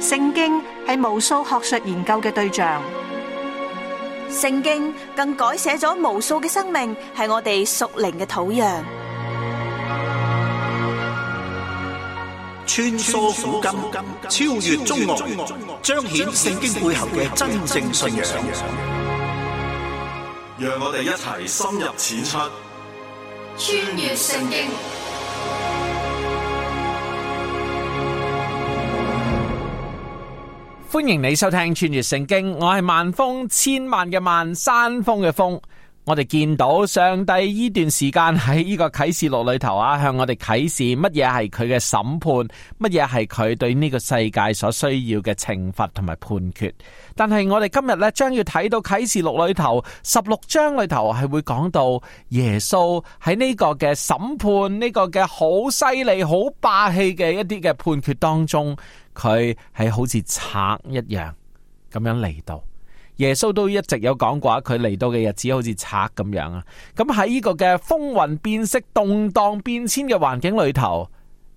聖經係無數學術研究嘅對象，聖經更改寫咗無數嘅生命，係我哋屬靈嘅土壤。穿梭古今，超越中外，彰顯聖經背後嘅真正信仰。讓我哋一齊深入淺出，穿越聖經。歡迎你收聽穿越聖經，我係萬峰，千萬嘅萬，山峰嘅峰。我哋見到上帝呢段時間喺呢個啟示錄裏頭向我哋啟示乜嘢係佢嘅審判，乜嘢係佢對呢個世界所需要嘅懲罰同埋判決。但係我哋今日呢，將要睇到啟示錄裏頭16章裏頭係會講到耶穌喺呢個嘅審判，呢個嘅好犀利、好霸氣嘅一啲嘅判決當中，佢係好似賊一樣咁樣嚟到。耶穌都一直有講過，佢嚟到嘅日子好似賊咁樣啊！咁喺呢個嘅風雲變色、動盪變遷嘅環境裏頭，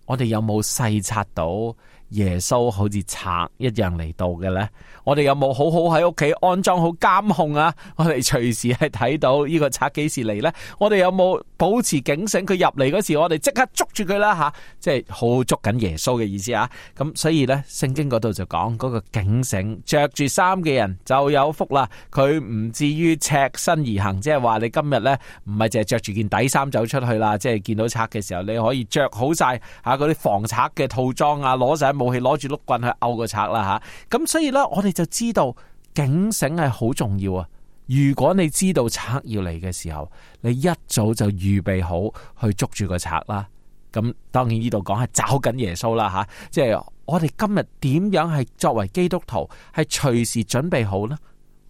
我哋有冇細察到耶穌好似賊一樣嚟到嘅呢？我哋有冇好好喺屋企安裝好監控啊？我哋隨時係睇到呢個賊幾時嚟呢？我哋有冇保持警醒？佢入嚟嗰時，我哋即刻捉住佢啦吓！即係好捉緊耶穌嘅意思啊！咁所以呢，聖經嗰度就講嗰個警醒，着住衫嘅人就有福啦。佢唔至於赤身而行，即係話你今日呢，唔係淨係着住件底衫走出去啦，即係見到賊嘅時候，你可以着好晒嗰啲防賊嘅套裝啊，攞晒武器，攞住碌棍去毆個賊啦吓！咁所以呢，我哋就知道警醒係好重要啊！如果你知道賊要嚟嘅時候，你一早就預備好去捉住個賊啦。咁當然呢度講係找緊耶穌啦吓，即係我哋今日點樣係作為基督徒係隨時準備好呢？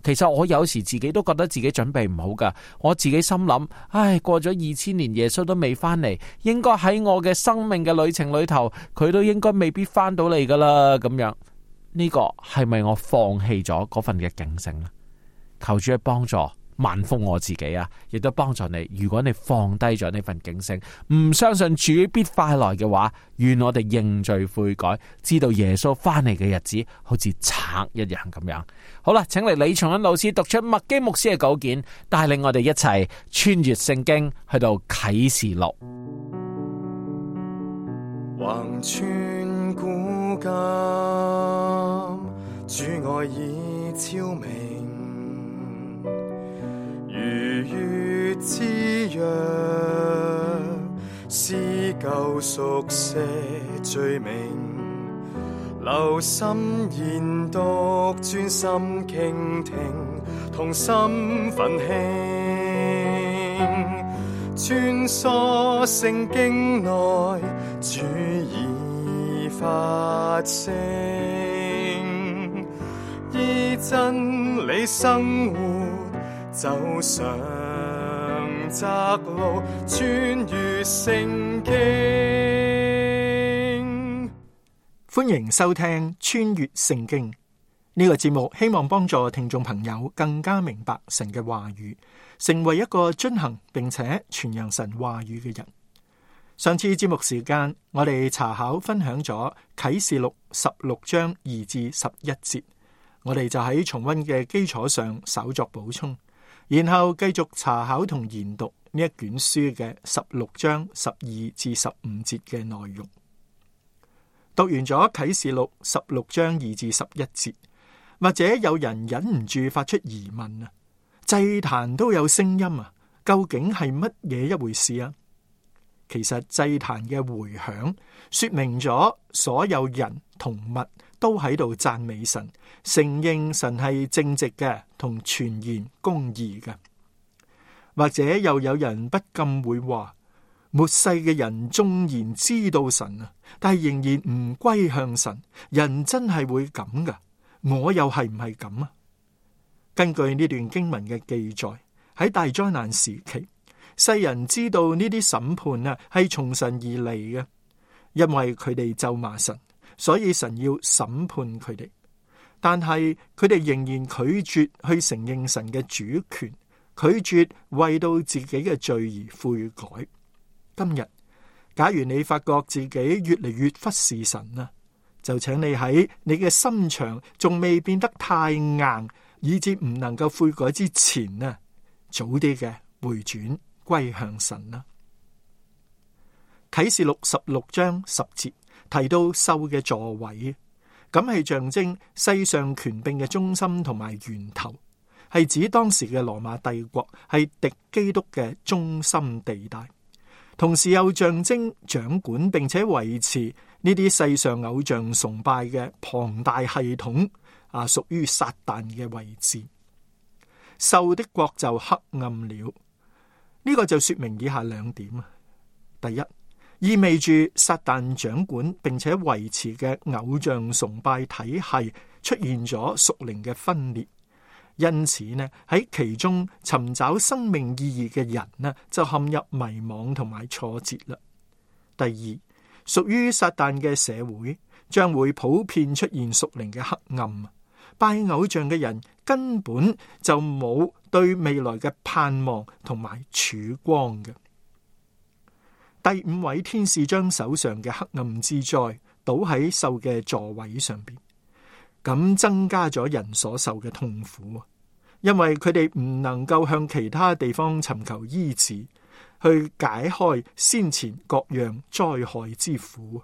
其實我有時自己都覺得自己準備唔好噶，我自己心諗，唉，過咗2000年耶穌都未翻嚟，應該喺我嘅生命嘅旅程裏頭，佢都應該未必翻到嚟噶啦，咁樣。呢個係咪我放棄咗嗰份嘅警醒呢？求主去幫助萬峰我自己啊，亦都幫助你。如果你放低咗呢份警醒，唔相信主必快來嘅話，願我哋認罪悔改，知道耶穌翻嚟嘅日子好似賊一樣咁樣。好啦，請嚟李松恩老師讀出麥基牧師嘅稿件，帶領我哋一齊穿越聖經去到啟示錄。橫穿古今，主愛已昭明，如月之約，撕舊熟寫罪名，留心研讀，專心傾聽，同心奮興，穿梭聖經內，主已發聲，依真理生活，走上窄路，穿越聖經。歡迎收聽穿越聖經呢個節目，希望幫助聽眾朋友更加明白神嘅話語，成為一個遵行並且傳揚神話語嘅人。上次節目時間，我哋查考分享咗啟示錄16章2至11節，我哋就喺重溫嘅基礎上稍作補充，然後繼續查考同研讀呢一卷書嘅16章12至15節嘅內容。讀完咗啟示錄16章2至11節，或者有人忍唔住發出疑問啊，祭壇都有聲音啊，究竟係乜嘢一回事啊？其實祭壇嘅回響說明咗所有人同物都喺度讚美神，承認神係正直嘅同全然公義嘅。或者又有人不禁會話，末世嘅人縱然知道神啊，但係仍然唔歸向神，人真係會咁噶？我又係唔係咁啊？根據呢段經文嘅記載，喺大災難時期，世人知道呢啲審判啊係從神而嚟嘅，因為佢哋咒罵神，所以神要審判佢哋。但係佢哋仍然拒絕去承認神嘅主權，拒絕為到自己嘅罪而悔改。今日假如你發覺自己越嚟越忽視神啊，就請你喺你嘅心腸仲未變得太硬，以致唔能夠悔改之前呢，早啲嘅回轉歸向神啦。啟示錄16章10節提到獸嘅座位，咁係象徵世上權柄嘅中心同埋源頭，係指當時嘅羅馬帝國係敵基督嘅中心地帶，同時又象徵掌管並且維持呢啲世上偶像崇拜嘅龐大系統屬於撒旦嘅位置。獸的國就黑暗了，呢個就說明以下兩點。第一，意味住撒旦掌管並且維持嘅偶像崇拜體系出現咗屬靈嘅分裂，因此呢，喺其中尋找生命意義嘅人呢，就陷入迷惘同埋挫折啦。第二，屬於撒旦嘅社會將會普遍出現屬靈嘅黑暗，拜偶像嘅人根本就冇對未來嘅盼望同埋曙光嘅。第5位天使將手上嘅黑暗之災倒喺獸嘅座位上邊，咁增加咗人所受嘅痛苦，因為佢哋唔能夠向其他地方尋求醫治，去解開先前各樣災害之苦。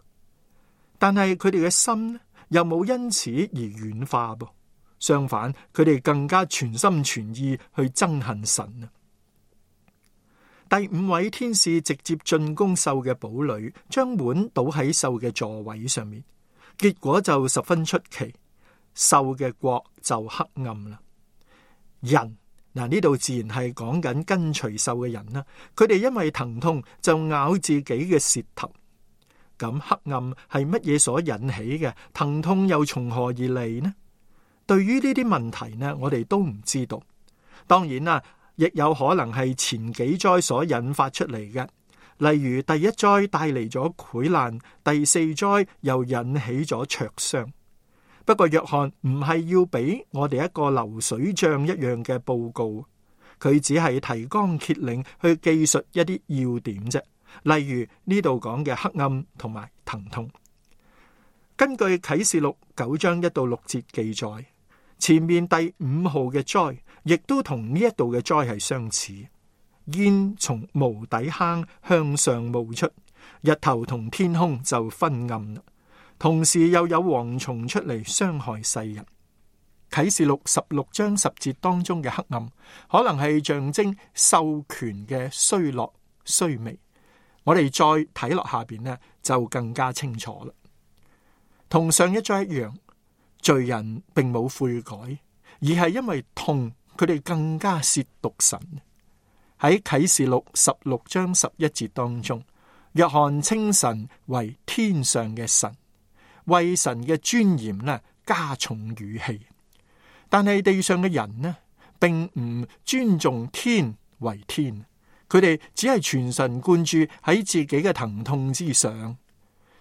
但係佢哋嘅心又冇因此而軟化噃，相反，佢哋更加全心全意去憎恨神啊！第5位天使直接進攻獸嘅堡壘，將碗倒喺獸嘅座位上面，結果就十分出奇，獸嘅國就黑暗啦。人呢度自然係講緊跟隨獸嘅人啦，佢哋因為疼痛就咬自己嘅舌頭。咁黑暗係乜嘢所引起嘅？疼痛又從何而嚟呢？對於呢啲問題呢，我哋都唔知道。當然啦，亦有可能係前幾災所引發出嚟嘅，例如第一災帶嚟咗潰爛，第4災又引起咗灼傷。不過約翰唔係要俾我哋一個流水賬一樣嘅報告，佢只係提綱挈領去記述一啲要點啫。例如呢度講嘅黑暗同埋疼痛。根據啟示錄9章1到6節記載，前面第5號嘅災亦都同呢一度嘅災係相似。煙從無底坑向上冒出，日頭同天空就昏暗啦。同時又有蝗蟲出嚟傷害世人。啟示錄16章10節當中嘅黑暗，可能係象徵獸權嘅衰落衰微。我哋再睇落下邊呢，就更加清楚啦。同上一章一樣，罪人並冇悔改，而係因為痛，佢哋更加褻瀆神。喺啟示錄16章11節當中，約翰稱神為天上嘅神，為神嘅尊嚴呢加重語氣。但係地上嘅人呢，並唔尊重天為天。佢哋只係全神貫注喺自己嘅疼痛之上。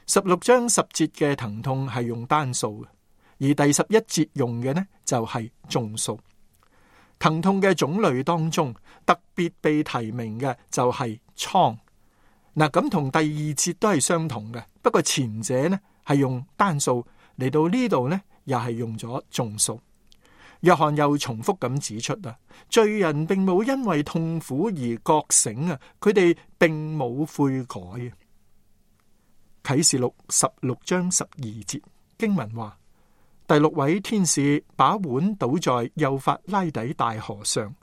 16章10節嘅疼痛係用單數嘅，而第11節用嘅呢就係眾數。疼痛嘅種類當中，特別被提名嘅就係瘡。嗱，咁同第2節都係相同嘅，不過前者呢係用單數，嚟到呢度呢又係用咗眾數。約翰又重複咁指出啊，罪人並冇因為痛苦而覺醒啊，佢哋並冇悔改啊。啟示錄16章12節經文話，第6位天使把碗倒在幼發拉底大河上，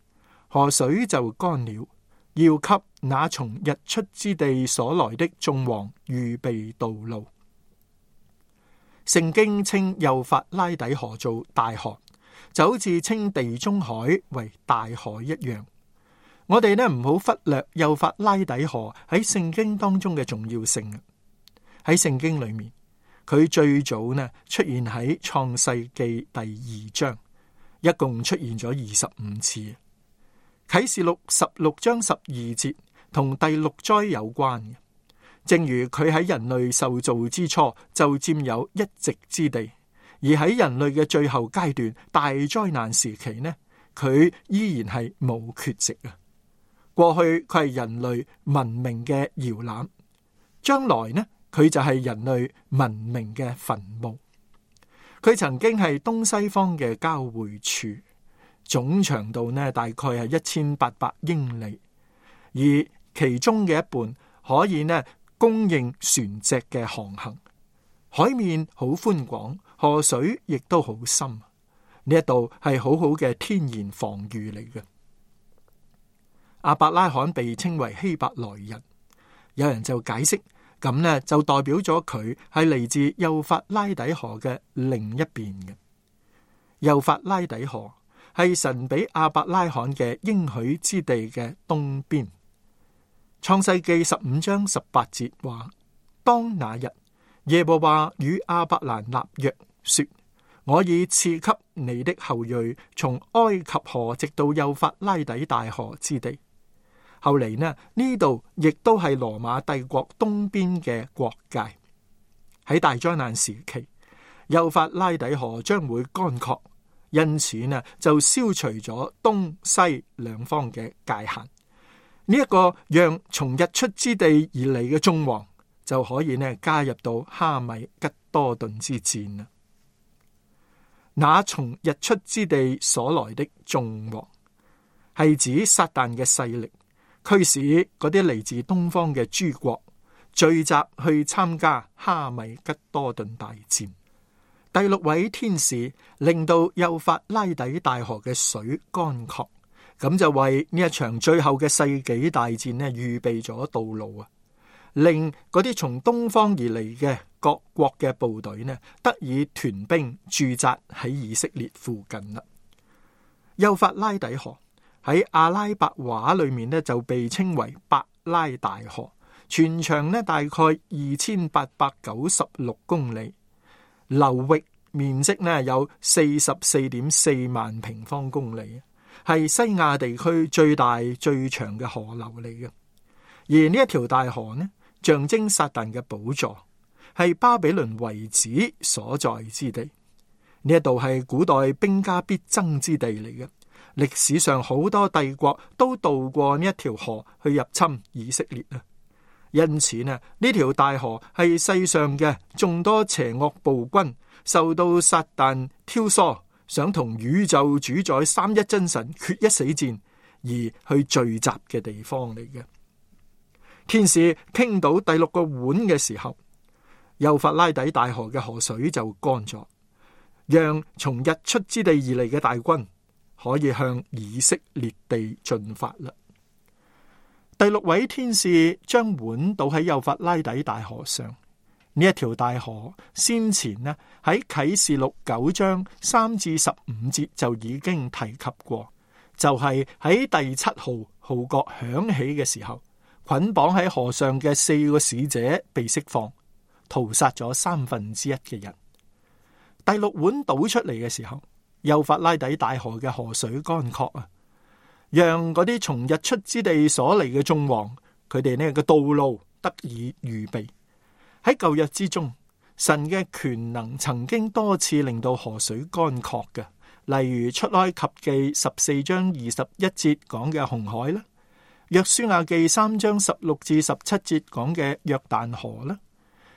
河水就乾了，要給那從日出之地所來的眾王預備道路。聖經稱幼發拉底河做大河，就好似稱地中海為大海一樣。我哋呢唔好忽略幼發拉底河喺聖經當中嘅重要性。喺聖經裏面，佢最早呢出現喺創世記第2章，一共出現咗25次。啟示錄16章12節同第6災有關嘅，正如佢喺人類受造之初就佔有一席之地。而喺人類嘅最後階段大災難時期呢，佢依然係冇缺席啊。過去佢係人類文明嘅搖籃，將來呢佢就係人類文明嘅墳墓。佢曾經係東西方嘅交匯處，總長度呢大概係1800英里，而其中嘅一半可以呢供應船隻嘅航行。海面好寬廣，河水亦都好深。呢一度係好好嘅天然防禦嚟嘅。亞伯拉罕被稱為希伯來人，有人就解釋，咁呢就代表咗佢係嚟自幼發拉底河嘅另一邊嘅。幼發拉底河係神俾亞伯拉罕嘅應許之地嘅東邊。創世記15章18節話：當那日，耶和華與亞伯蘭立約，說：我已賜給你的後裔從埃及河直到幼發拉底大河之地。後嚟呢度亦都係羅馬帝國東邊嘅國界。喺大災難時期，幼發拉底河將會乾涸，因此就消除咗東西兩方嘅界限。呢一個讓從日出之地而嚟嘅眾王就可以加入到哈米吉多頓之戰啦。那從日出之地所來的眾王係指撒旦嘅勢力，驅使嗰啲嚟自東方嘅諸國聚集去參加哈米吉多頓大戰。第六位天使令到幼發拉底大河嘅水乾涸，咁就為呢一場最後嘅世紀大戰預備咗道路啊！令嗰啲從東方而嚟嘅各國嘅部隊得以屯兵駐紮喺以色列附近啦。幼發拉底河喺阿拉伯話裏面就被稱為伯拉大河，全長大概2896公里，流域面積有44.4萬平方公里，係西亞地區最大最長嘅河流嚟嘅。而呢一條大河象徵撒旦嘅寶座，係巴比倫遺址所在之地。呢一度係古代兵家必爭之地嚟嘅。歷史上好多帝國都渡過呢一條河去入侵以色列啊。因此呢條大河係世上嘅眾多邪惡暴君受到撒旦挑唆，想同宇宙主宰三一真神決一死戰而去聚集嘅地方嚟嘅。天使傾倒第六個碗嘅時候，幼發拉底大河嘅河水就乾咗，讓從日出之地而嚟嘅大軍可以向以色列地進發啦。第六位天使將碗倒喺幼發拉底大河上。呢一條大河先前喺啟示錄9章3至15節就已經提及過，就係喺第7號號角響起嘅時候，捆綁喺河上嘅4個使者被釋放，屠殺咗1/3嘅人。第六碗倒出嚟嘅時候，幼發拉底大河嘅河水乾涸啊，讓嗰啲從日出之地所嚟嘅眾王，佢哋嘅道路得以預備。喺舊日之中，神嘅權能曾經多次令到河水乾涸嘅，例如出埃及記14章21節講嘅紅海啦，約書亞記3章16至17節講嘅約旦河啦，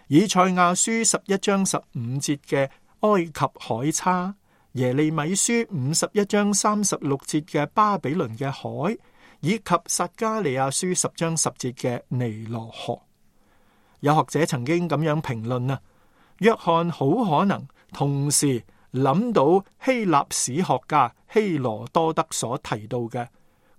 以賽亞書11章15節嘅埃及海叉，耶利米書51章36節嘅巴比倫嘅海，以及撒迦利亞書10章10節嘅尼羅河。有學者曾經咁樣評論啊，約翰好可能同時諗到希臘史學家希羅多德所提到嘅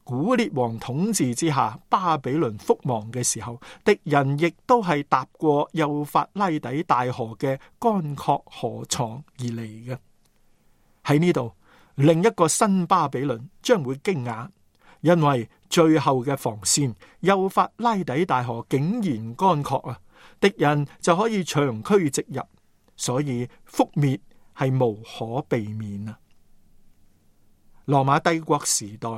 古列王統治之下巴比倫覆亡嘅時候，敵人亦都係踏過幼發拉底大河嘅乾涸河床而嚟嘅。喺呢度，另一個新巴比倫將會驚訝，因為最後嘅防線幼發拉底大河竟然乾涸啊！敵人就可以長驅直入，所以覆滅係無可避免啊！羅馬帝國時代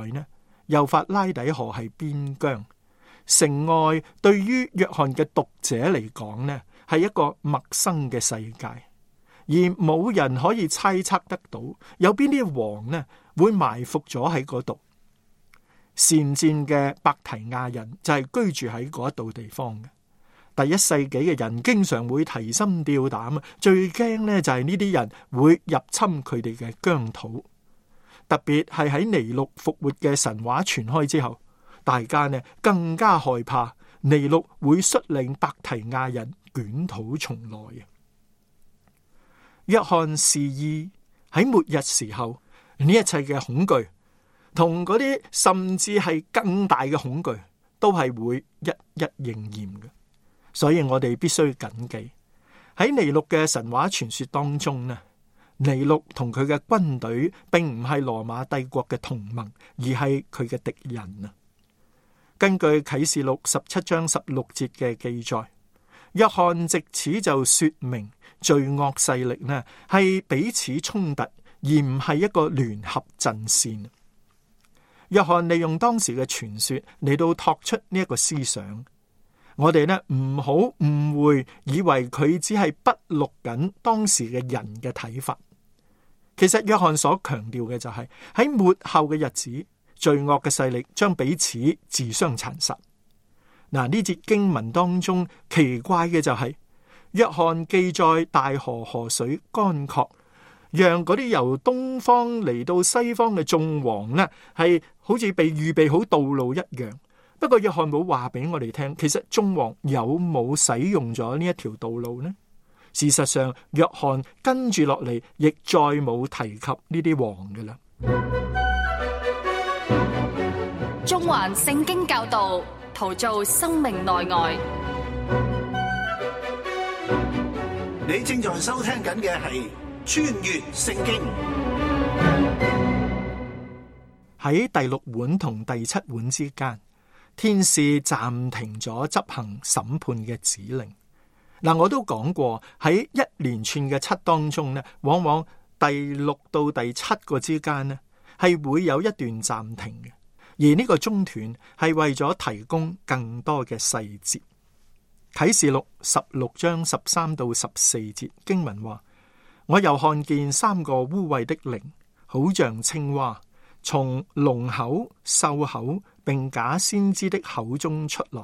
幼發拉底河係邊疆，城外對於約翰嘅讀者嚟講係一個陌生嘅世界，而冇人可以猜測得到有邊啲王會埋伏咗喺嗰度。善戰嘅伯提亞人就係居住喺嗰一度地方嘅。第一世紀嘅人經常會提心吊膽啊，最驚呢就係呢啲人會入侵佢哋嘅疆土。特別係喺尼祿復活嘅神話傳開之後，大家呢更加害怕尼祿會率領伯提亞人捲土重來啊！約翰示意喺末日時候呢一切嘅恐懼，同嗰啲甚至係更大嘅恐懼，都係會一一應驗嘅。所以我哋必須謹記喺尼祿嘅神話傳說當中呢，尼祿同佢嘅軍隊並唔係羅馬帝國嘅同盟，而係佢嘅敵人啊！根據啟示錄17章16節嘅記載，約翰藉此就說明罪惡勢力呢係彼此衝突，而唔係一個聯合陣線。約翰利用當時嘅傳說嚟到托出呢一個思想，我哋呢唔好誤會，以為佢只係筆錄緊當時嘅人嘅睇法。其實約翰所強調嘅就係喺末後嘅日子，罪惡嘅勢力將彼此自相殘殺。嗱，呢節經文當中奇怪嘅就係約翰記載大河河水乾涸，讓嗰啲由東方嚟到西方嘅眾王呢係好似被預備好道路一樣。不過約翰冇話俾我哋聽，其實眾王有冇使用咗呢一條道路呢？事實上，約翰跟住落嚟亦再冇提及呢啲王㗎喇。中環聖經教導，陶造生命內外。你正在收聽緊嘅係穿越聖經。喺第6碗同第7碗之間，天使暫停咗執行審判嘅指令。嗱，我都講過喺一連串嘅7當中呢，往往第6到第7個之間呢係會有一段暫停嘅，而呢個中斷係為咗提供更多嘅細節。啟示錄16章13到14節經文話：我又看見3個污穢的靈，好像青蛙，從龍口、獸口並假先知的口中出來。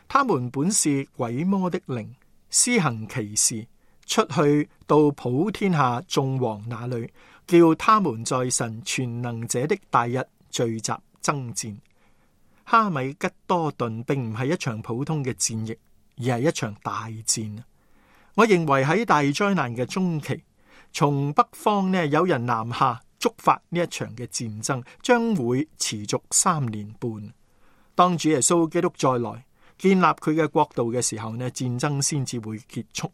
他們本是鬼魔的靈，施行奇事，出去到普天下眾王那裏，叫他們在神全能者的大日聚集爭戰。哈米吉多頓並唔係一場普通嘅戰役，而係一場大戰。我認為喺大災難嘅中期，從北方呢有人南下觸發呢一場嘅戰爭，將會持續3年半。當主耶穌基督再來建立佢嘅國度嘅時候呢，戰爭先至會結束，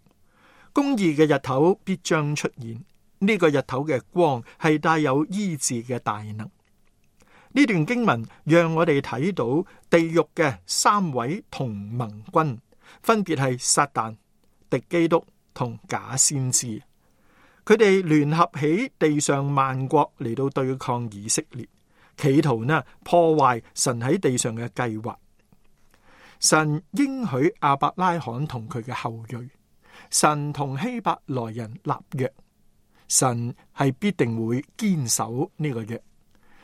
公義嘅日頭必將出現。呢個日頭嘅光係帶有醫治嘅大能。呢段經文讓我哋睇到地獄嘅3位同盟軍，分別係撒旦、敵基督同假先知。佢哋聯合起地上萬國嚟到對抗以色列，企圖呢破壞神喺地上嘅計劃。神應許亞伯拉罕同佢嘅後裔，神同希伯來人立約，神係必定會堅守呢個約，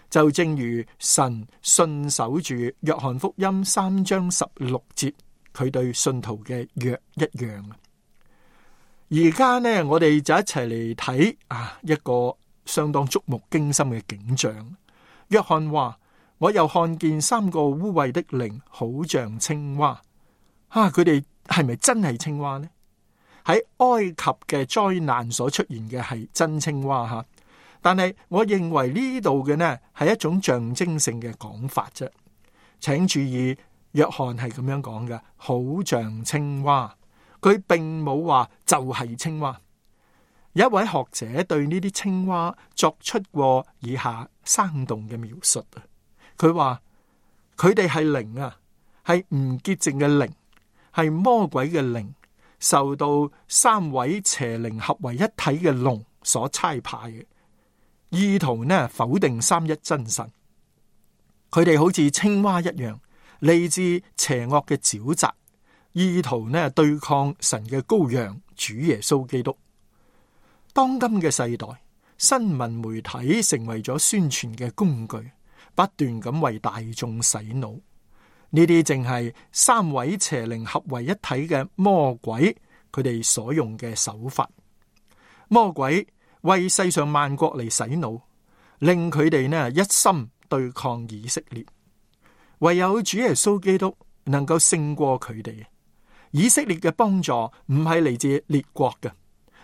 就正如神信守住約翰福音3章16節佢對信徒嘅約一樣。而家呢，我哋就一齊嚟睇一個相當觸目驚心嘅景象。約翰話：我又看見3個污穢的靈，好像青蛙。佢哋係咪真係青蛙呢？喺埃及嘅災難所出現嘅係真青蛙，但係我認為呢度嘅呢係一種象徵性嘅講法啫。請注意，約翰係咁樣講嘅，好像青蛙。佢並冇話就係青蛙。有一位學者對呢啲青蛙作出過以下生動嘅描述。佢話佢哋係靈啊，係唔潔淨嘅靈，係魔鬼嘅靈，受到3位邪靈合為一體嘅龍所差派嘅，意圖呢否定三一真神。佢哋好似青蛙一樣，嚟自邪惡嘅沼澤，意圖呢對抗神嘅羔羊主耶穌基督。當今嘅世代，新聞媒體成為咗宣傳嘅工具，不斷咁為大眾洗腦。呢啲正係三位邪靈合為一體嘅魔鬼，佢哋所用嘅手法。魔鬼為世上萬國嚟洗腦，令佢哋呢一心對抗以色列。唯有主耶穌基督能夠勝過佢哋。以色列嘅幫助唔係嚟自列國嘅，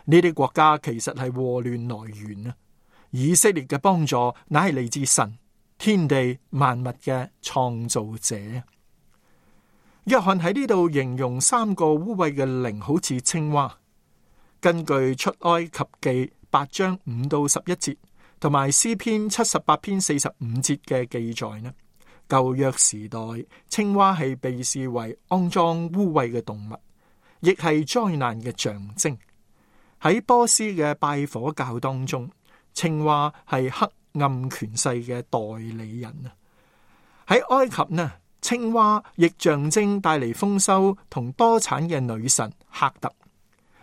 呢啲國家其實係禍亂來源啊！以色列嘅幫助乃係嚟自神，天地萬物嘅創造者。約翰喺呢度形容三個污穢嘅靈好似青蛙。根據出埃及記8章5到11節，同埋詩篇78篇45節嘅記載呢，舊約時代青蛙係被視為骯髒污穢嘅動物，亦係災難嘅象徵。喺波斯嘅拜火教當中，青蛙係黑暗權勢嘅代理人啊。喺埃及呢，青蛙亦象徵帶嚟豐收同多產嘅女神赫特。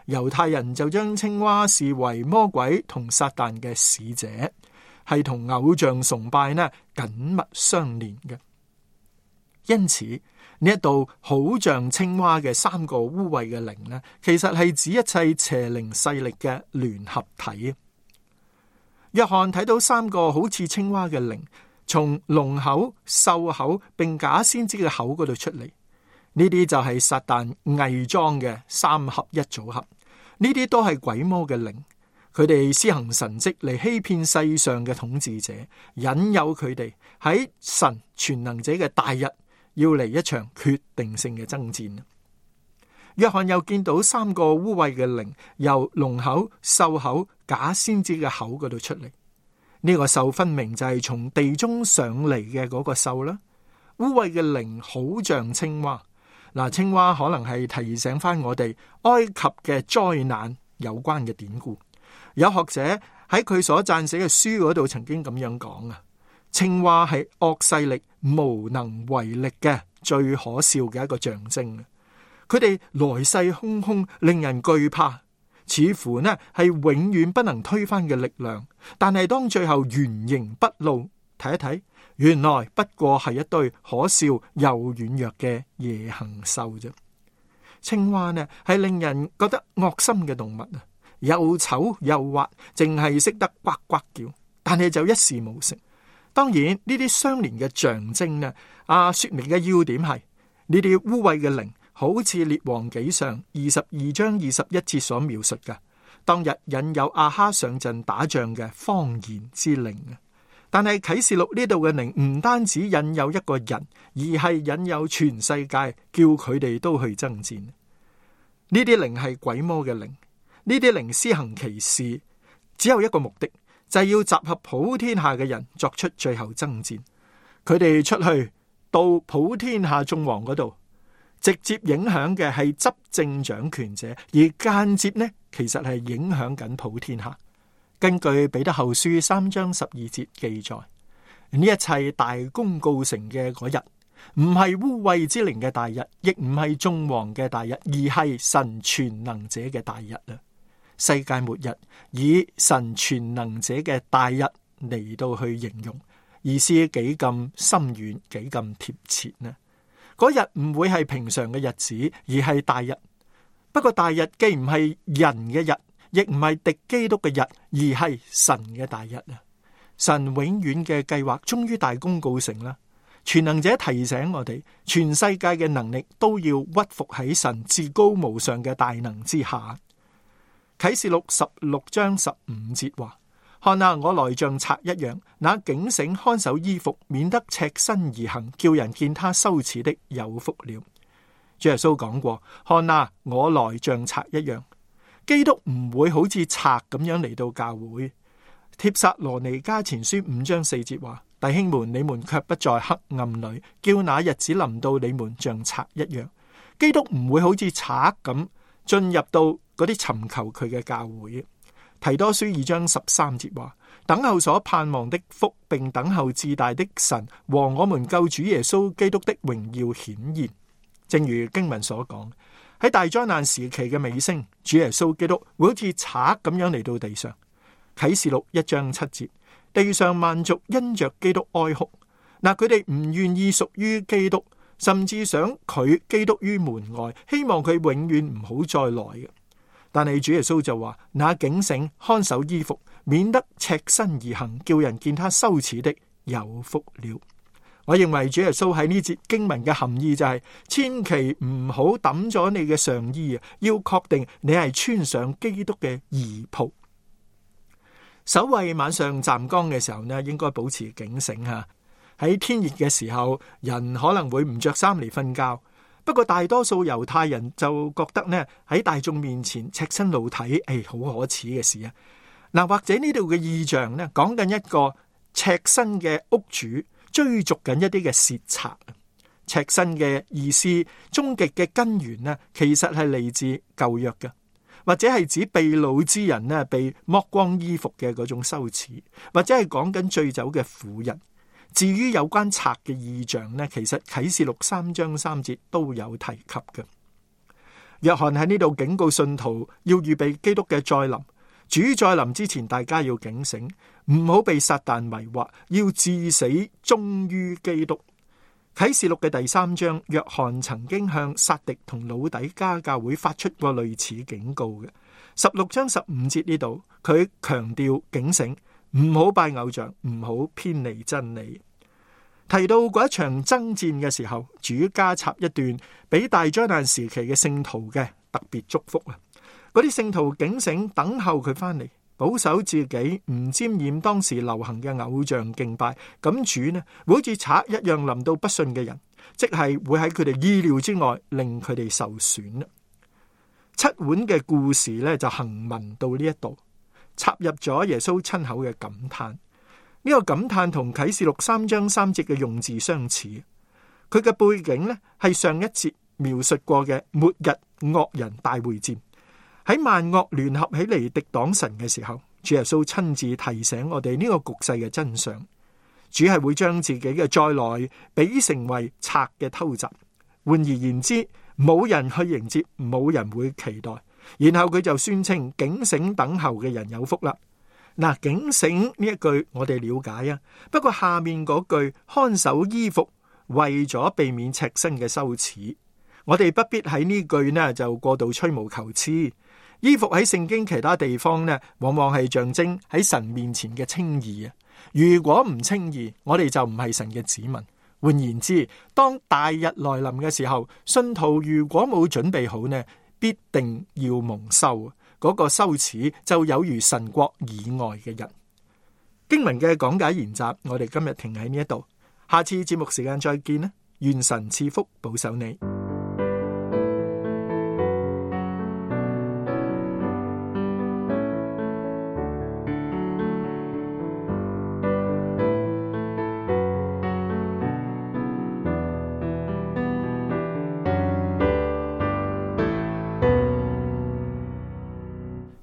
猶太人就將青蛙視為魔鬼同撒旦嘅使者，係同偶像崇拜呢緊密相連嘅。因此呢一度好像青蛙嘅三個污穢嘅靈呢，其實係指一切邪靈勢力嘅聯合體。約翰睇到三個好似青蛙嘅靈從龍口、獸口並假先知嘅口嗰度出嚟，呢啲就係撒旦偽裝嘅三合一組合。呢啲都係鬼魔嘅靈，佢哋施行神蹟嚟欺騙世上嘅統治者，引誘佢哋喺神全能者嘅大日要嚟一場決定性嘅爭戰。約翰又見到三個污穢嘅靈由龍口、獸口、假先知嘅口嗰度出嚟。呢個獸分明就係從地中上嚟嘅嗰個獸啦。污穢嘅靈好像青蛙。嗱，青蛙可能係提醒翻我哋埃及嘅災難有關嘅典故。有學者喺佢所撰寫嘅書嗰度曾經咁樣講啊，青蛙係惡勢力無能為力嘅最可笑嘅一個象徵。佢哋來勢洶洶，令人懼怕，似乎呢係永遠不能推翻嘅力量。但係當最後原形畢露，睇一睇，原來不過係一堆可笑又軟弱嘅夜行獸啫。青蛙呢係令人覺得惡心嘅動物啊，又醜又滑，淨係識得呱呱叫，但係就一事無成。當然呢啲相連嘅象徵呢，說明嘅要點係呢啲污穢嘅靈，好似列王紀上22章21節所描述嘅，當日引誘亞哈上陣打仗嘅謊言之靈啊。但係啟示錄呢度嘅靈唔單止引誘一個人，而係引誘全世界，叫佢哋都去爭戰。呢啲靈係鬼魔嘅靈，呢啲靈施行奇事，只有一個目的，就係要集合普天下嘅人作出最後爭戰。佢哋出去到普天下眾王嗰度，直接影響嘅係執政掌權者，而間接呢，其實係影響緊普天下。根據彼得後書3章12節記載，呢一切大功告成嘅嗰日，唔係污穢之靈嘅大日，亦唔係眾王嘅大日，而係神全能者嘅大日啊！世界末日以神全能者嘅大日嚟到去形容，意思幾咁深遠，幾咁貼切呢？嗰日唔會係平常嘅日子，而係大日。不過大日既唔係人嘅日，亦唔係敵基督嘅日，而係神嘅大日啊！神永遠嘅計劃終於大功告成啦！全能者提醒我哋，全世界嘅能力都要屈服喺神至高無上嘅大能之下。啟示錄16章15節話：看啊，我來像賊一樣，那警醒看守衣服，免得赤身而行，叫人見他羞恥的有福了。主耶穌講過：看啊，我來像賊一樣。基督唔會好似賊咁樣嚟到教會。帖撒羅尼迦前書5章4節話：弟兄們，你們卻不在黑暗裏，叫那日子臨到你們像賊一樣。基督唔會好似賊咁進入到嗰啲尋求佢嘅教會。提多書2章13節話：等候所盼望的福，並等候至大的神和我們救主耶穌基督的榮耀顯現。正如經文所講，喺大災難時期嘅尾聲，主耶穌基督會好似賊咁樣嚟到地上。啟示錄1章7節，地上萬族因着基督哀哭。嗱，佢哋唔願意屬於基督，甚至想拒基督於門外，希望佢永遠唔好再來嘅。但係主耶穌就話：那警醒看守衣服，免得赤身而行，叫人見他羞恥的，有福了。我認為主耶穌喺呢節經文嘅含義就係，千祈唔好抌咗你嘅上衣啊，要確定你係穿上基督嘅義袍。守衛晚上站崗嘅時候呢，應該保持警醒吓。喺天熱嘅時候，人可能會唔着衫嚟瞓覺。不過大多數猶太人就覺得呢，喺大眾面前赤身露體，好可恥嘅事啊！嗱，或者呢度嘅意象呢，講緊一個赤身嘅屋主追逐緊一啲嘅竊賊。赤身嘅意思，終極嘅根源呢，其實係嚟自舊約嘅，或者係指被擄之人呢被剝光衣服嘅嗰種羞恥，或者係講緊醉酒嘅婦人。至於有關賊嘅意象呢，其實啟示錄3章3節都有提及嘅。約翰喺呢度警告信徒要預備基督嘅再臨。主再臨之前，大家要警醒，唔好被撒旦迷惑，要至死忠於基督。啟示錄嘅第3章，約翰曾經向撒狄同老底加教會發出過類似警告嘅。16章15節呢度，佢強調警醒，唔好拜偶像，唔好偏離真理。提到嗰一場爭戰嘅時候，主加插一段俾大災難時期嘅聖徒嘅特別祝福啊！嗰啲聖徒警醒，等候佢翻嚟，保守自己唔沾染當時流行嘅偶像敬拜。咁主呢，會好似賊一樣臨到不信嘅人，即係會喺佢哋意料之外令佢哋受損。七碗嘅故事呢，就行文到呢一度，插入咗耶穌親口嘅感嘆。呢個感嘆同啟示錄3章3節嘅用字相似。佢嘅背景呢，係上一節描述過嘅末日惡人大會戰。喺萬惡聯合起嚟敵擋神嘅時候，主耶穌親自提醒我哋呢個局勢嘅真相。主係會將自己嘅再來比成為賊嘅偷襲。換而言之，冇人去迎接，冇人會期待。然後佢就宣稱警醒等候嘅人有福啦。嗱，警醒呢一句我哋了解啊，不過下面嗰句看守衣服，為咗避免赤身嘅羞恥，我哋不必喺呢句呢就過度吹毛求疵。衣服喺聖經其他地方呢，往往係象徵喺神面前嘅稱義啊。如果唔稱義，我哋就唔係神嘅子民。換言之，當大日來臨嘅時候，信徒如果冇準備好呢，必定要蒙羞。嗰個羞恥就有如神國以外嘅人。經文嘅講解研習，我哋今日停喺呢一度，下次節目時間再見啦！願神賜福保守你。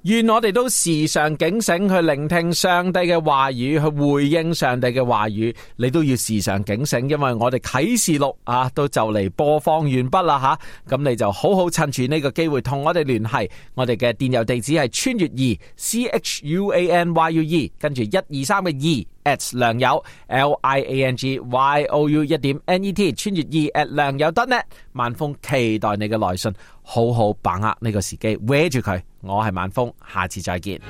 願我哋都時常警醒，去聆聽上帝嘅話語，去回應上帝嘅話語。你都要時常警醒，因為我哋啟示錄都就嚟播放完畢啦吓。咁你就好好趁住呢個機會同我哋聯繫。我哋嘅電郵地址係穿越2 CHUANYUE 跟住123嘅2 at 良友 LIANGYOU1.net 穿越2 at 良友 .net。萬峰期待你嘅來信，好好把握呢個時機，搲住佢。我係萬峰，下次再見。